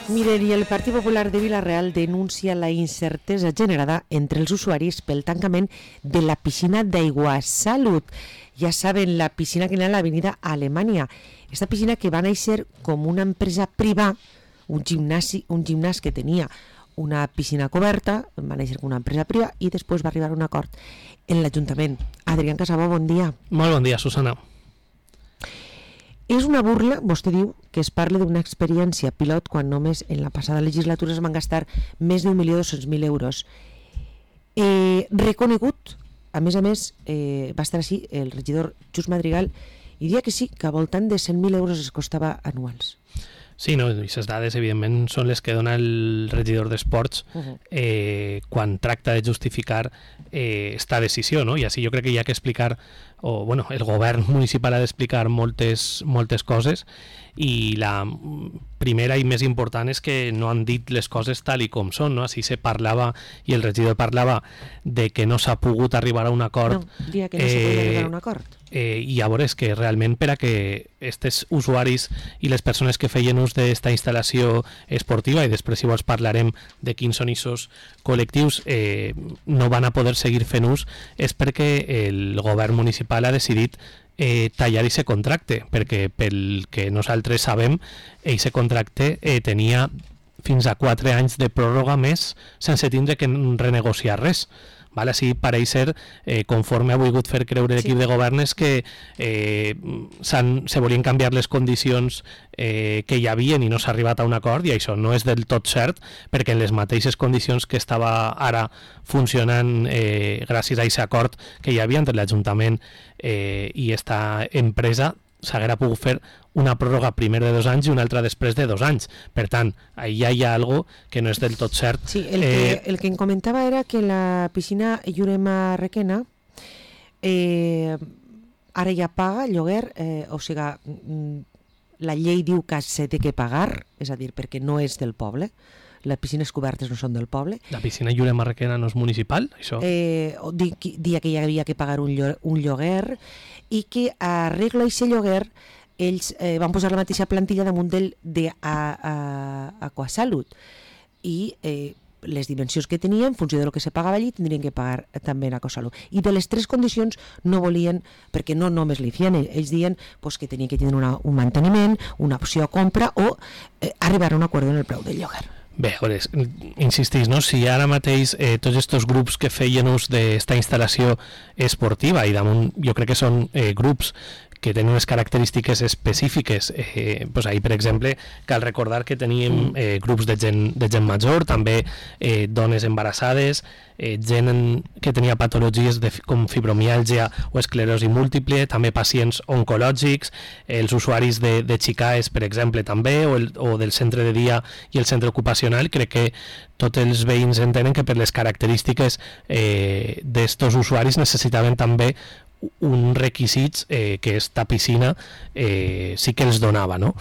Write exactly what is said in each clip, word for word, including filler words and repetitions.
Miren, i el Partit Popular de Vila-real denuncia la incertesa generada entre els usuaris pel tancament de la piscina d'Aigua Salut. Ja saben, la piscina que hi ha a l'avenida Alemanya. Esta piscina que va néixer com una empresa privada, un gimnasi, un gimnàs que tenia una piscina coberta, va néixer com una empresa privada i després va arribar a un acord en l'Ajuntament. Adrián Casabó, bon dia. Molt bon dia, Susana. És una burla, vostè diu, que es parli d'una experiència pilot quan només en la passada legislatura es van gastar més d'un milió dos-cents mil euros. Eh, reconegut, a més a més, eh, va estar així el regidor Just Madrigal i dia que sí, que a voltant de cent mil euros es costava anuals. Sí, no, i aquestes dades, evidentment, són les que dona el regidor d'Esports uh-huh. eh, quan tracta de justificar eh, esta decisió, no? I així jo crec que hi ha que explicar, o bueno, el govern municipal ha d'explicar moltes, moltes coses, i la primera i més important és que no han dit les coses tal i com són, no? Així se parlava, i el regidor parlava de que no s'ha pogut arribar a un acord. No, dia que no eh, s'ha pogut arribar a un acord. Eh, i llavors que realment per a que aquests usuaris i les persones que feien ús d'esta instal·lació esportiva, i després si vols parlarem de quins són aquests col·lectius, eh, no van a poder seguir fent ús, és perquè el govern municipal ha decidit eh, tallar aquest contracte, perquè pel que nosaltres sabem, aquest contracte eh, tenia fins a quatre anys de pròrroga més sense tindre que renegociar res. Vale, així pareix ser, eh, conforme ha volgut fer creure l'equip sí. de govern, és que eh, se volien canviar les condicions eh, que hi havia i no s'ha arribat a un acord, i això no és del tot cert, perquè en les mateixes condicions que estava ara funcionant eh, gràcies a aquest acord que hi havia entre l'Ajuntament eh, i esta empresa, s'haguera pogut fer una pròrroga primer de dos anys i una altra després de dos anys. Per tant, allà hi ha algo que no és del tot cert. Sí, el que, eh, el que em comentava era que la piscina Llurema Requena eh, ara ja paga lloguer, eh, o sigui, la llei diu que s'ha de que pagar, és a dir, perquè no és del poble, les piscines cobertes no són del poble. La piscina Llurema Requena no és municipal, això? Eh, dia que hi havia que pagar un, lloguer, un lloguer, i que arregla aquest lloguer ells eh, van posar la mateixa plantilla damunt del d'Aquasalut i eh, les dimensions que tenien, en funció del que se pagava allí, tindrien que pagar també en Aquasalut. I de les tres condicions no volien, perquè no només li feien, ells diuen pues, que tenien que tenir una, un manteniment, una opció a compra o eh, arribar a un acord en el preu del lloguer. Bé, veure, insistís, no? Si ara mateix eh, tots aquests grups que feien ús d'esta instal·lació esportiva, i damunt jo crec que són eh, grups que tenen unes característiques específiques, eh, pues ahir, per exemple, cal recordar que teníem eh, grups de gent, de gent major, també eh, dones embarassades, eh, gent en, que tenia patologies de, com fibromiàlgia o esclerosi múltiple, també pacients oncològics, eh, els usuaris de, de Xicaes, per exemple, també, o, el, o del centre de dia i el centre ocupacional. Crec que tots els veïns entenen que per les característiques eh, d'estos usuaris necessitaven també un requisits eh, que esta piscina eh, sí que els donava, no?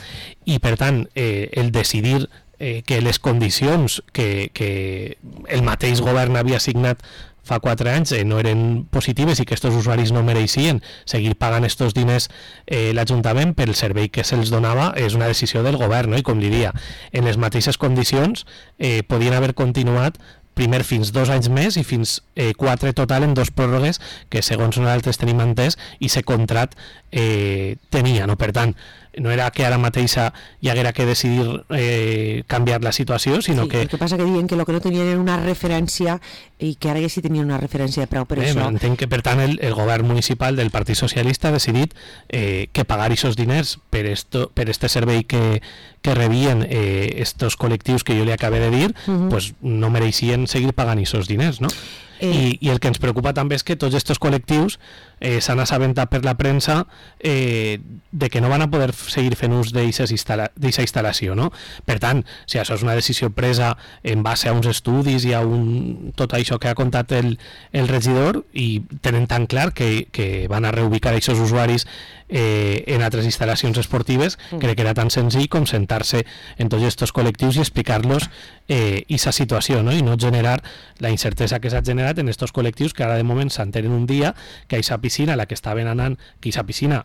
I per tant eh, el decidir eh, que les condicions que, que el mateix govern havia assignat fa quatre anys eh, no eren positives i que aquests usuaris no mereixien seguir pagant aquests diners eh, l'Ajuntament pel servei que se'ls donava, és una decisió del govern, no? I com diria, en les mateixes condicions eh, podien haver continuat primer fins dos anys més i fins eh, quatre total en dos pròrrogues que segons nosaltres tenim entès i se contrat eh, tenia, no? Per tant, no era que ara mateixa hi haguera que decidir eh, canviar la situació, sinó sí, que... El que passa que diuen que el que no tenien era una referència i que ara ja sí tenien una referència de preu per eh, això. Entenc que, per tant, el, el govern municipal del Partit Socialista ha decidit eh, que pagar aquests diners per, esto, per este servei que, que rebien eh, estos col·lectius que jo li acabé de dir, uh-huh. pues no mereixien seguir pagant aquests diners, no? Eh. I, I el que ens preocupa també és que tots aquests col·lectius eh, s'han assabentat per la premsa eh, de que no van a poder seguir fent ús d'aquesta instal·la, instal·lació, no? Per tant, si això és una decisió presa en base a uns estudis i a un, tot això que ha contat el, el regidor, i tenen tan clar que, que van a reubicar aquests usuaris eh, en altres instal·lacions esportives, mm. crec que era tan senzill com sentar-se en tots aquests col·lectius i explicar-los eh, aquesta situació, no? I no generar la incertesa que s'ha generat en aquests col·lectius que ara de moment s'entenen un dia que aquesta piscina a la que estaven anant, que aquesta piscina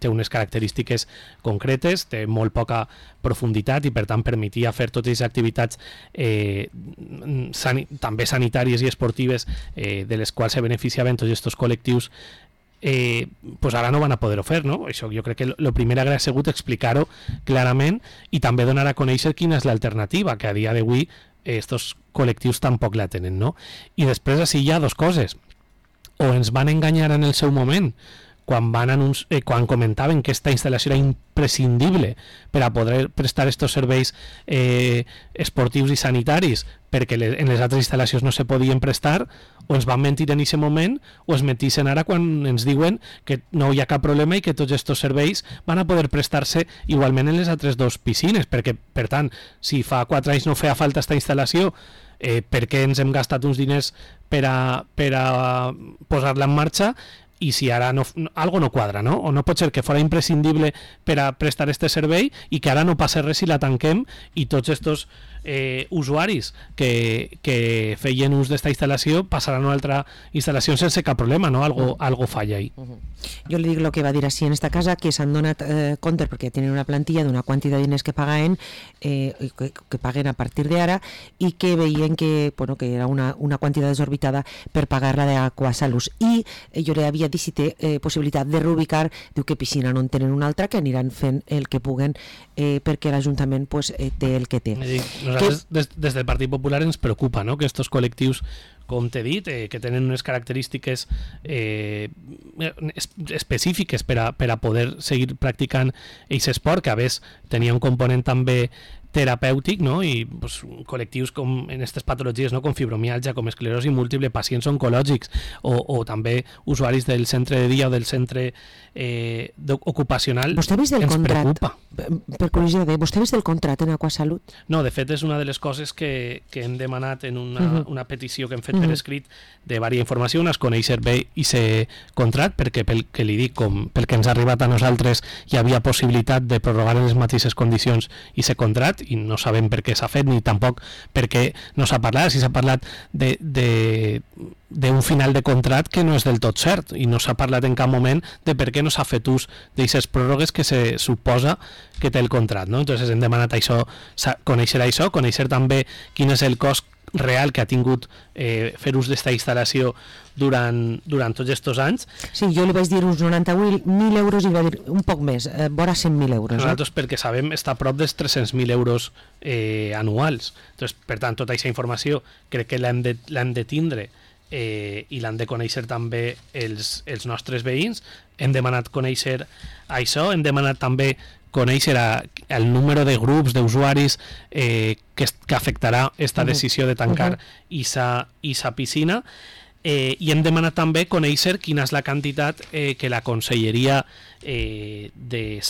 té unes característiques concretes, té molt poca profunditat i per tant permetia fer totes les activitats eh, sani també sanitàries i esportives eh, de les quals se beneficiaven tots aquests col·lectius. Eh, pues ara no van a poder-ho fer, no? Això jo crec que el primer hauria sigut explicar-ho clarament i també donar a conèixer quina és l'alternativa, que a dia d'avui estos col·lectius tampoc la tenen, no? I després així hi ha dues coses. O ens van enganyar en el seu moment quan, van anunci eh, quan comentaven que aquesta instal·lació era imprescindible per a poder prestar estos serveis eh, esportius i sanitaris perquè les, en les altres instal·lacions no se podien prestar, o ens van mentir en aquest moment o es mentixen ara quan ens diuen que no hi ha cap problema i que tots aquests serveis van a poder prestar-se igualment en les altres dues piscines, perquè per tant, si fa quatre anys no feia falta aquesta instal·lació, eh, per què ens hem gastat uns diners per a, per a posar-la en marxa i si ara no, algo no quadra, no? O no pot ser que fora imprescindible per a prestar este servei i que ara no passa res si la tanquem i tots estos eh, usuaris que, que feien ús d'esta instal·lació passaran a una altra instal·lació sense cap problema, no? Algo, algo falla ahí. Uh -huh. Jo li dic el que va dir així en esta casa, que s'han donat eh, compte perquè tenen una plantilla d'una quantitat de diners que pagaven, eh, que, que paguen a partir d'ara, i que veien que, bueno, que era una, una quantitat desorbitada per pagar-la d'Aquasalus. I eh, jo li havia dit si té eh, possibilitat de reubicar, diu que piscina no en tenen una altra, que aniran fent el que puguen eh, perquè l'Ajuntament pues, eh, té el que té. Nosaltres, que... des, des del Partit Popular ens preocupa, no?, que estos col·lectius, com t'he dit, eh, que tenen unes característiques eh, específiques per a, per a poder seguir practicant aquest esport, que a més tenia un component també terapèutic, no? I pues, col·lectius com en aquestes patologies, no? Com fibromialgia, com esclerosi múltiple, pacients oncològics o, o també usuaris del centre de dia o del centre eh, ocupacional. Vostè ha vist del ens contrat? Preocupa. Per curiositat, vostè ha vist el contrat en Aquasalut? No, de fet és una de les coses que, que hem demanat en una, uh -huh. una petició que hem fet uh -huh. per escrit de vària informació, una es conèixer bé i ser contrat, perquè pel que li dic, com pel que ens ha arribat a nosaltres, hi havia possibilitat de prorrogar en les mateixes condicions i ser contrat, i no sabem per què s'ha fet ni tampoc per què no s'ha parlat, si s'ha parlat de, de, d'un final de contract que no és del tot cert i no s'ha parlat en cap moment de per què no s'ha fet ús d'aquestes pròrrogues que se suposa que té el contract, no? Entonces hem demanat això, conèixer això, conèixer també quin és el cost real que ha tingut eh, fer ús d'esta instal·lació durant, durant tots aquests anys. Sí, jo li vaig dir uns noranta-vuit mil euros i va dir un poc més, eh, vora cent mil euros. Nosaltres, eh? Perquè sabem, està a prop dels tres-cents mil euros eh, anuals. Entonces, per tant, tota aquesta informació crec que l'hem de, l'hem de tindre eh, i l'han de conèixer també els, els nostres veïns. Hem demanat conèixer això, hem demanat també conèixer a, el número de grups d'usuaris eh, que, que afectarà aquesta decisió de tancar aquesta uh-huh. piscina, eh, i hem demanat també conèixer quina és la quantitat eh, que la Conselleria eh, de,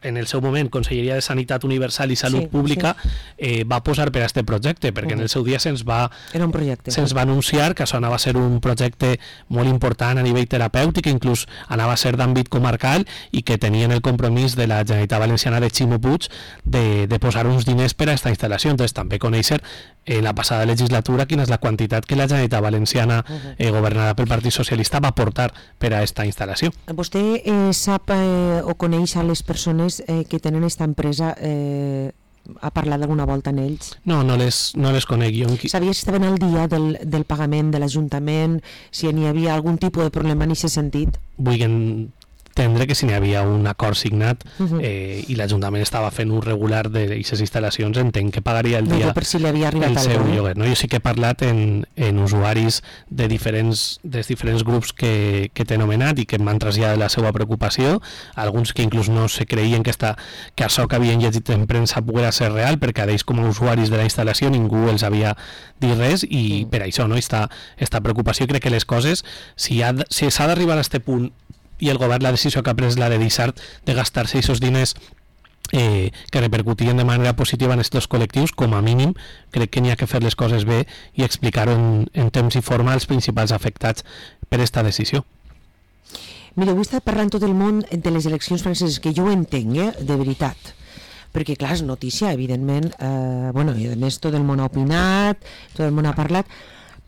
en el seu moment Conselleria de Sanitat Universal i Salut sí, Pública sí. Eh, va posar per a aquest projecte, perquè uh-huh. en el seu dia se'ns va, Era un projecte, se'ns va anunciar que això anava a ser un projecte molt important a nivell terapèutic, inclús anava a ser d'àmbit comarcal i que tenien el compromís de la Generalitat Valenciana de Ximo Puig de, de posar uns diners per a aquesta instal·lació. Entonces també conèixer en la passada legislatura quina és la quantitat que la Generalitat Valenciana uh-huh. eh, governada pel Partit Socialista va portar per a aquesta instal·lació. Vostè eh, sap eh, o coneix a les persones eh, que tenen aquesta empresa, eh, ha parlat alguna volta amb ells? No, no les, no les conec jo. Sabia si estaven al dia del, del pagament de l'Ajuntament, si n'hi havia algun tipus de problema en aquest sentit? Vull entendre que si n'hi havia un acord signat uh-huh. eh, i l'Ajuntament estava fent un regular d'aquestes instal·lacions, entenc que pagaria el dia no, per si li havia arribat el seu algú, lloguer. No? Jo sí que he parlat en, en usuaris de diferents, dels diferents grups que, que t'he anomenat i que m'han traslladat la seva preocupació, alguns que inclús no se creien que, esta, que això que havien llegit en premsa poguera ser real, perquè a ells com a usuaris de la instal·lació ningú els havia dit res i uh-huh. per això no? esta, esta preocupació. Crec que les coses, si, ha, si s'ha d'arribar a aquest punt i el govern la decisió que ha pres la de deixar de gastar-se aquests diners eh, que repercutien de manera positiva en aquests col·lectius, com a mínim crec que n'hi ha que fer les coses bé i explicar-ho en, en temps i forma als principals afectats per aquesta decisió. Mira, avui està parlant tot el món de les eleccions franceses, que jo ho entenc, eh, de veritat, perquè clar, és notícia, evidentment, eh, bueno, i a més tot el món ha opinat, tot el món ha parlat,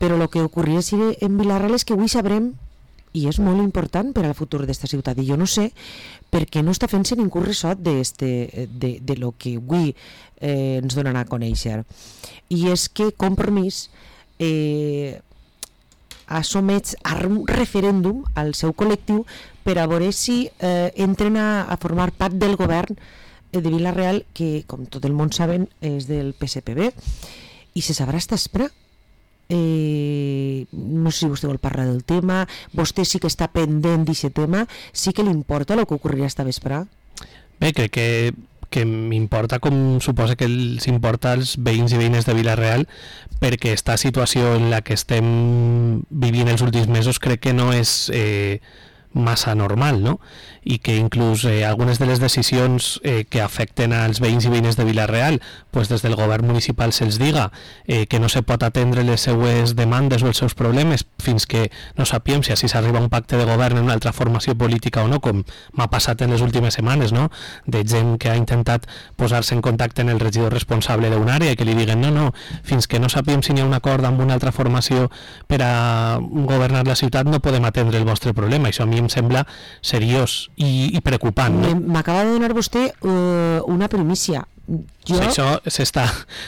però el que ocorria en Vilarreal és que avui sabrem i és molt important per al futur d'esta ciutat, i jo no sé per què no està fent-se ningú ressot de, este, de, de lo que avui eh, ens donen a conèixer. I és que Compromís eh, ha somets a un referèndum al seu col·lectiu per a veure si eh, entren a, a formar part del govern de Vila-real, que com tot el món saben és del P S P B, i se sabrà esta espera. Eh, no sé si vostè vol parlar del tema, vostè sí que està pendent d'aquest tema, sí que li importa el que ocorrirà esta vespre? Bé, crec que, que m'importa com suposa que els importa als veïns i veïnes de Vila-real, perquè esta situació en la que estem vivint els últims mesos crec que no és eh, massa normal, no? I que inclús eh, algunes de les decisions eh, que afecten als veïns i veïnes de Vila-real, pues des del govern municipal se'ls diga eh, que no se pot atendre les seues demandes o els seus problemes fins que no sapiem si així s'arriba a un pacte de govern en una altra formació política o no, com m'ha passat en les últimes setmanes, no? De gent que ha intentat posar-se en contacte amb el regidor responsable d'una àrea i que li diguen no, no, fins que no sapiem si n'hi ha un acord amb una altra formació per a governar la ciutat no podem atendre el vostre problema. Això a mi em sembla seriós i, i preocupant, no? M'acaba de donar vostè uh, una primícia. Jo... Sí, això s'està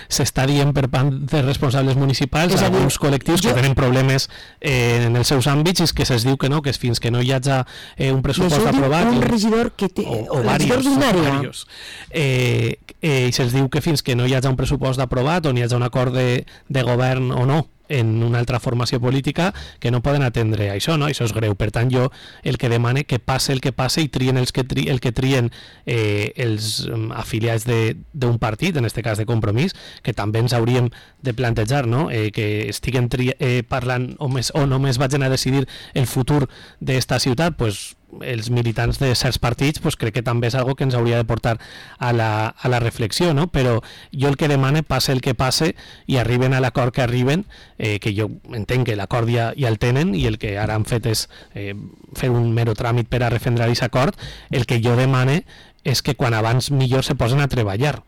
s'està dient per part de responsables municipals a alguns col·lectius jo... que tenen problemes eh, en els seus àmbits, i que se'ls diu que no, que fins que no hi hagi eh, un pressupost aprovat un regidor que té, o, o varios, varios eh, eh, i se'ls diu que fins que no hi hagi un pressupost aprovat o n'hi hagi un acord de, de govern o no en una altra formació política, que no poden atendre això, no? Això és greu. Per tant, jo el que demane que passe el que passe i trien els que tri, el que trien eh, els um, afiliats d'un partit, en aquest cas de Compromís, que també ens hauríem de plantejar, no? Eh, que estiguen tri, eh, parlant o, més, o només vagin a decidir el futur d'esta ciutat, pues, els militants de certs partits, pues crec que també és algo que ens hauria de portar a la, a la reflexió, no? Però jo el que demane, passe el que passe i arriben a l'acord que arriben, eh, que jo entenc que l'acord ja, ja el tenen i el que ara han fet és eh, fer un mero tràmit per a refendrar aquest acord, el que jo demane és que quan abans millor se posen a treballar,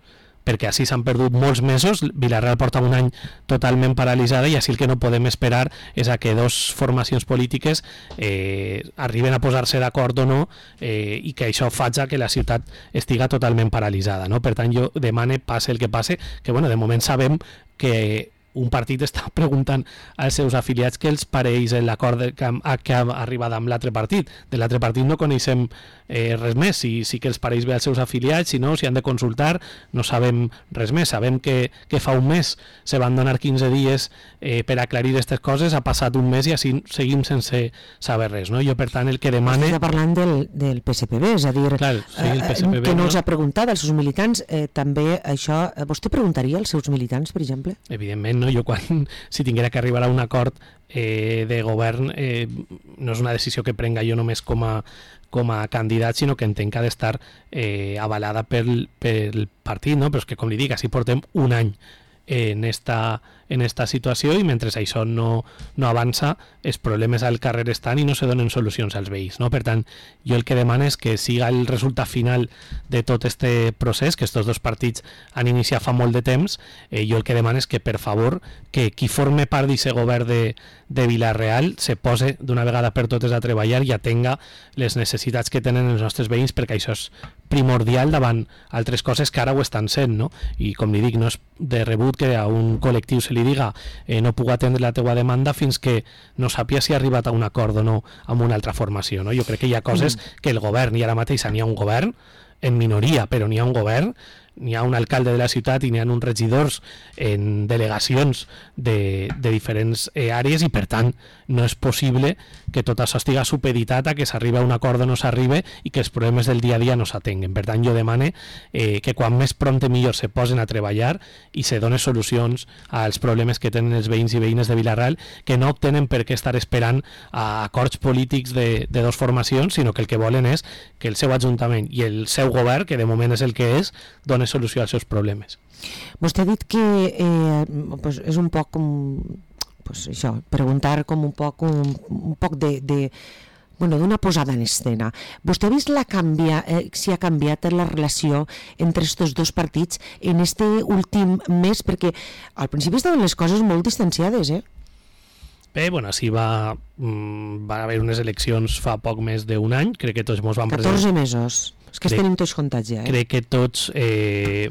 perquè així s'han perdut molts mesos. Vila-real porta un any totalment paralitzada i així el que no podem esperar és a que dos formacions polítiques eh, arriben a posar-se d'acord o no eh, i que això faci que la ciutat estiga totalment paralitzada, no? Per tant, jo demane, passe el que passe, que bueno, de moment sabem que un partit està preguntant als seus afiliats què els pareix l'acord que, que ha arribat amb l'altre partit. De l'altre partit no coneixem eh, res més, si, si que els pareix bé als seus afiliats, si no, si han de consultar, no sabem res més. Sabem que, que fa un mes se van donar quinze dies eh, per aclarir aquestes coses, ha passat un mes i així seguim sense saber res, no? Jo, per tant, el que demane... Està parlant del, del P S P B, és a dir, Clar, sí, el P S P B, que no, no els ha preguntat als seus militants, eh, també això... Vostè preguntaria als seus militants, per exemple? Evidentment, no? Jo quan, si tinguera que arribar a un acord eh, de govern, eh, no és una decisió que prenga jo només com a, com a candidat, sinó que entenc que ha d'estar eh, avalada pel, pel partit, no? Però és que, com li dic, així portem un any en esta, en esta situació i mentre això no, no avança, els problemes al carrer estan i no se donen solucions als veïns, no? Per tant, jo el que demano és que siga el resultat final de tot este procés, que estos dos partits han iniciat fa molt de temps. Eh, jo el que demano és que, per favor, que qui forme part d'aquest govern de, de Vila-real se pose d'una vegada per totes a treballar i atenga les necessitats que tenen els nostres veïns, perquè això és primordial davant altres coses que ara ho estan sent, no? I com li dic, no és de rebut que a un col·lectiu se li diga eh, no puc atendre la teua demanda fins que no sàpia si ha arribat a un acord o no amb una altra formació, no? Jo crec que hi ha coses que el govern, i ara mateix n'hi ha un govern en minoria, però n'hi ha un govern, n'hi ha un alcalde de la ciutat i n'hi ha uns regidors en delegacions de, de diferents eh, àrees, i per tant no és possible que tot això estigui supeditat a que s'arriba a un acord o no s'arribe i que els problemes del dia a dia no s'atenguen. Per tant, jo demane eh, que quan més prompte millor se posen a treballar i se donen solucions als problemes que tenen els veïns i veïnes de Vila-real, que no tenen per què estar esperant a acords polítics de, de dos formacions, sinó que el que volen és que el seu ajuntament i el seu govern, que de moment és el que és, donen solució als seus problemes. Vostè ha dit que eh, pues és un poc com pues això, preguntar com un poc un, un poc de, de bueno, d'una posada en escena. Vostè ha vist la canvia, eh, si ha canviat la relació entre estos dos partits en este últim mes, perquè al principi estaven les coses molt distanciades, eh? Bé, bueno, així va, va haver unes eleccions fa poc més d'un any, crec que tots ens van presentar... catorze mesos, és que crec, tenim tots comptats ja. Eh? Crec que tots... Eh,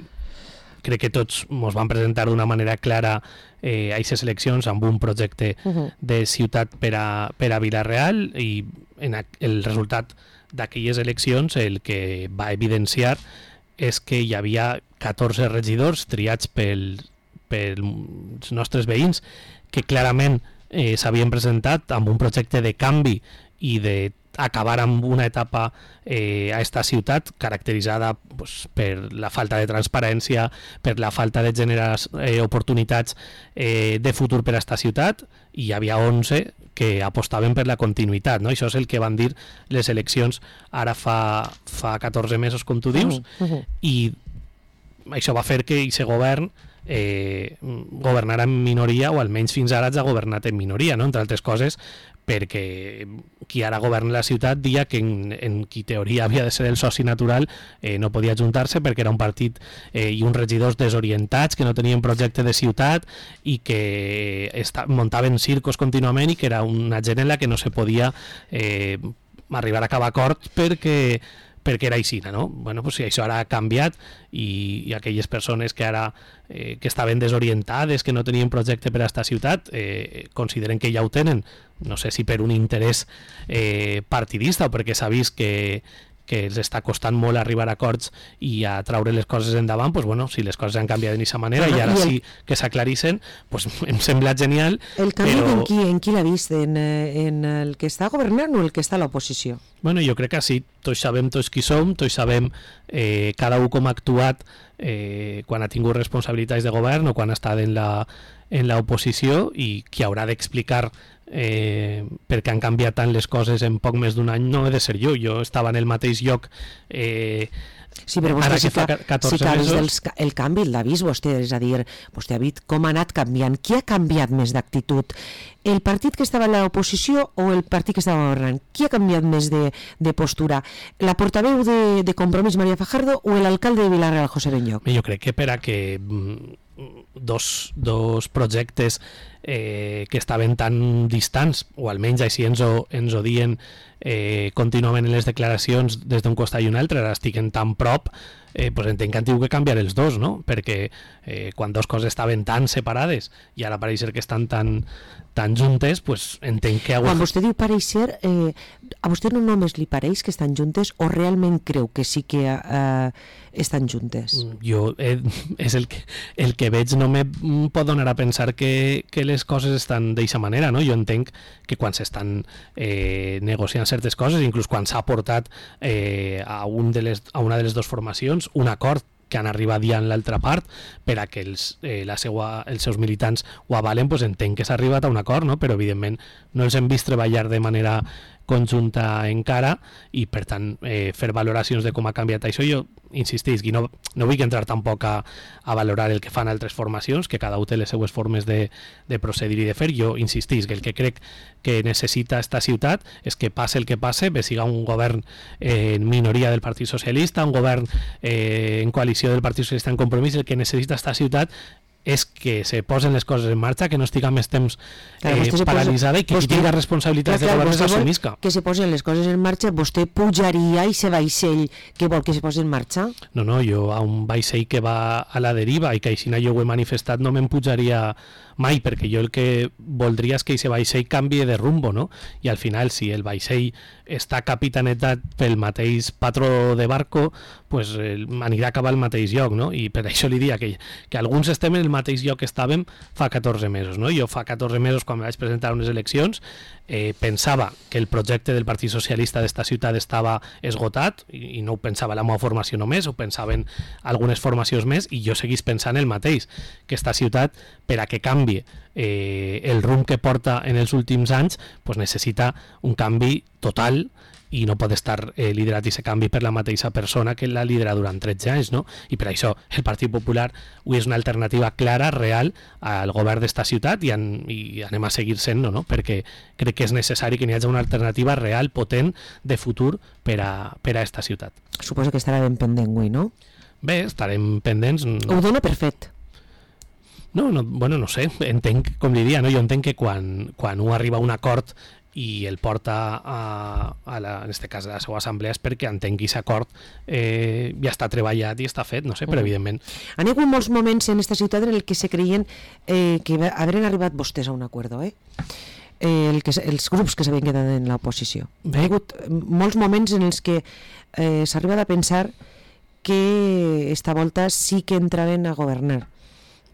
crec que tots ens van presentar d'una manera clara eh, a aquestes eleccions amb un projecte uh -huh. de ciutat per a, per a Vila-real, i en a, el resultat d'aquelles eleccions el que va evidenciar és que hi havia catorze regidors triats pel, pels nostres veïns que clarament eh, s'havien presentat amb un projecte de canvi i de acabar amb una etapa eh, a esta ciutat caracteritzada pues, per la falta de transparència, per la falta de generar eh, oportunitats eh, de futur per a esta ciutat, i hi havia onze que apostaven per la continuïtat, no? Això és el que van dir les eleccions ara fa, fa catorze mesos, com tu dius, uh -huh. i això va fer que aquest govern eh, governara en minoria, o almenys fins ara ha governat en minoria, no? Entre altres coses perquè qui ara governa la ciutat dia que en, en qui teoria havia de ser el soci natural eh, no podia ajuntar-se perquè era un partit eh, i uns regidors desorientats que no tenien projecte de ciutat i que esta, muntaven circos contínuament, i que era una gent en la que no se podia eh, arribar a cap acord perquè perquè era així, no? Bueno, pues, si això ara ha canviat, i, i aquelles persones que ara eh, que estaven desorientades, que no tenien projecte per a esta ciutat, eh, consideren que ja ho tenen, no sé si per un interès eh, partidista o perquè s'ha vist que, que els està costant molt arribar a acords i a traure les coses endavant, pues bueno, si les coses han canviat d'aquesta manera i ara sí que s'aclarixen, pues em sembla genial. El canvi però... en qui, en qui l'ha vist? En, en el que està governant o el que està a l'oposició? Bueno, jo crec que sí, tots sabem tots qui som, tots sabem eh, cada un com ha actuat eh, quan ha tingut responsabilitats de govern o quan ha estat en la en l'oposició, i qui haurà d'explicar eh, perquè han canviat tant les coses en poc més d'un any no he de ser jo, jo estava en el mateix lloc eh, sí, però vostè sí que, catorze sí que ha vist mesos. El, el canvi, l'ha vist vostè, és a dir, vostè ha vist com ha anat canviant, qui ha canviat més d'actitud, el partit que estava en l'oposició o el partit que estava governant, qui ha canviat més de, de postura, la portaveu de, de Compromís María Fajardo o l'alcalde de Vila-real José Benlloch? Jo crec que per a que dos, dos projectes eh, que estaven tan distants, o almenys així ens ho, ens ho dien eh, contínuament en les declaracions des d'un costat i un altre, ara estiguen tan prop, eh, pues entenc que han tingut que canviar els dos, no? Perquè eh, quan dos coses estaven tan separades i ara pareix ser que estan tan, tan juntes, pues entenc que... Quan vostè diu pareixer, eh, a vostè no només li pareix que estan juntes o realment creu que sí que eh, estan juntes? Jo, eh, és el que, el que veig, no me pot donar a pensar que, que les coses estan d'aquesta manera, no? Jo entenc que quan s'estan eh, negociant certes coses, inclús quan s'ha portat eh, a, un de les, a una de les dues formacions un acord que han arribat ja en l'altra part per a que els, eh, la seua, els seus militants ho avalen, pues entenc que s'ha arribat a un acord, no? Però evidentment no els hem vist treballar de manera conjunta encara, i per tant eh, fer valoracions de com ha canviat això, jo insistisc, i no, no vull entrar tampoc a, a valorar el que fan altres formacions, que cada un té les seues formes de, de procedir i de fer. Jo insistisc que el que crec que necessita esta ciutat és que passe el que passe, bé siga un govern eh, en minoria del Partit Socialista, un govern eh, en coalició del Partit Socialista en Compromís, el que necessita esta ciutat és que se posen les coses en marxa, que no estiga més temps eh, paralitzada posa, i que vostè, qui tingui responsabilitats de govern s'assumisca. Que se posen les coses en marxa, vostè pujaria i se vaixell que vol que se posi en marxa? No, no, jo a un vaixell que va a la deriva i que així jo ho he manifestat no me'n pujaria mai, perquè jo el que voldria és que aquest vaixell canvie de rumbo, no? I al final, si el vaixell està capitanetat pel mateix patró de barco, pues eh, anirà a acabar al mateix lloc, no? I per això li diria que, que alguns estem en el mateix lloc que estàvem fa catorze mesos, no? Jo fa catorze mesos, quan vaig presentar unes eleccions, eh, pensava que el projecte del Partit Socialista d'esta ciutat estava esgotat, i, i no ho pensava la meva formació només, ho pensaven algunes formacions més, i jo seguís pensant el mateix, que esta ciutat, per a que canvi eh, el rumb que porta en els últims anys, pues necessita un canvi total, i no pot estar eh, liderat aquest canvi per la mateixa persona que l'ha liderat durant tretze anys, no? I per això el Partit Popular avui és una alternativa clara, real, al govern d'esta ciutat, i, en, i anem a seguir sent-no, no? Perquè crec que és necessari que n'hi hagi una alternativa real, potent, de futur per a, per a esta ciutat. Suposo que estarà ben pendent avui, no? Bé, estarem pendents. Ho dona per fet. No, no, bueno, no sé, entenc, com diria, no? Jo entenc que quan, quan un arriba a un acord i el porta a, a la, en este cas a la seva assemblea és perquè entenc que aquest acord eh, ja està treballat i està fet, no sé, però evidentment... Han hi hagut molts moments en aquesta ciutat en el que se creien eh, que haveren arribat vostès a un acord, eh? Eh, el que, els grups que s'havien quedat en l'oposició. Hi ha hagut molts moments en els que eh, s'ha arribat a pensar que esta volta sí que entraren a governar.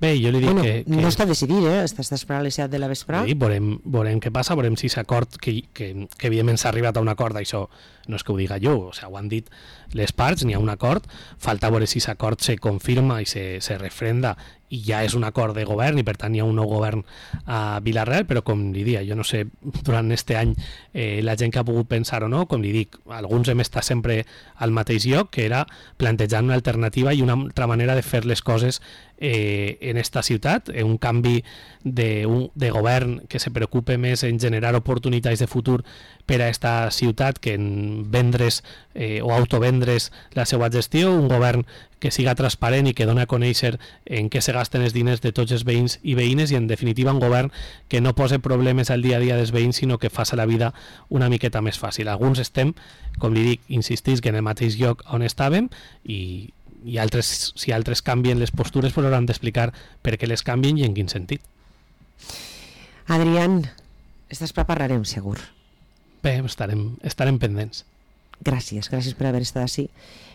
Bé, jo li dic bueno, que, que... no està decidit, eh? Està, està esperant les set de la vesprà. Sí, veurem, veurem què passa, veurem si s'acord, que, que, que evidentment s'ha arribat a un acord, això no és que ho diga jo, o sigui, ho han dit les parts, n'hi ha un acord, falta veure si s'acord se confirma i se, se refrenda i ja és un acord de govern i per tant hi ha un nou govern a Vila-real, però com li dic, jo no sé durant este any eh, la gent que ha pogut pensar o no, com li dic, alguns hem estat sempre al mateix lloc, que era plantejant una alternativa i una altra manera de fer les coses eh, en esta ciutat, eh, un canvi de, un, de govern que se preocupe més en generar oportunitats de futur per a esta ciutat que en vendre's eh, o autovendre's la seva gestió, un govern que siga transparent i que dona a conèixer en què se gasten els diners de tots els veïns i veïnes i en definitiva un govern que no pose problemes al dia a dia dels veïns sinó que faça la vida una miqueta més fàcil. Alguns estem, com li dic, insistís que en el mateix lloc on estàvem i, i altres, si altres canvien les postures pues hauran d'explicar per què les canvien i en quin sentit. Adrián, estàs prepararem segur. Bé, estarem, estarem pendents. Gràcies, gràcies per haver estat així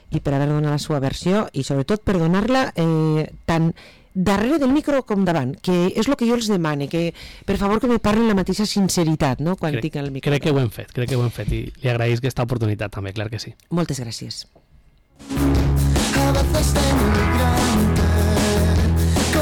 i per haver donat la seva versió i sobretot per donar-la eh, tant darrere del micro com davant, que és el que jo els demane, que per favor que me parlen la mateixa sinceritat, no?, quan crec, tinc el micro. Crec que ho hem fet, crec que ho hem fet i li agraïs aquesta oportunitat també, clar que sí. Moltes gràcies.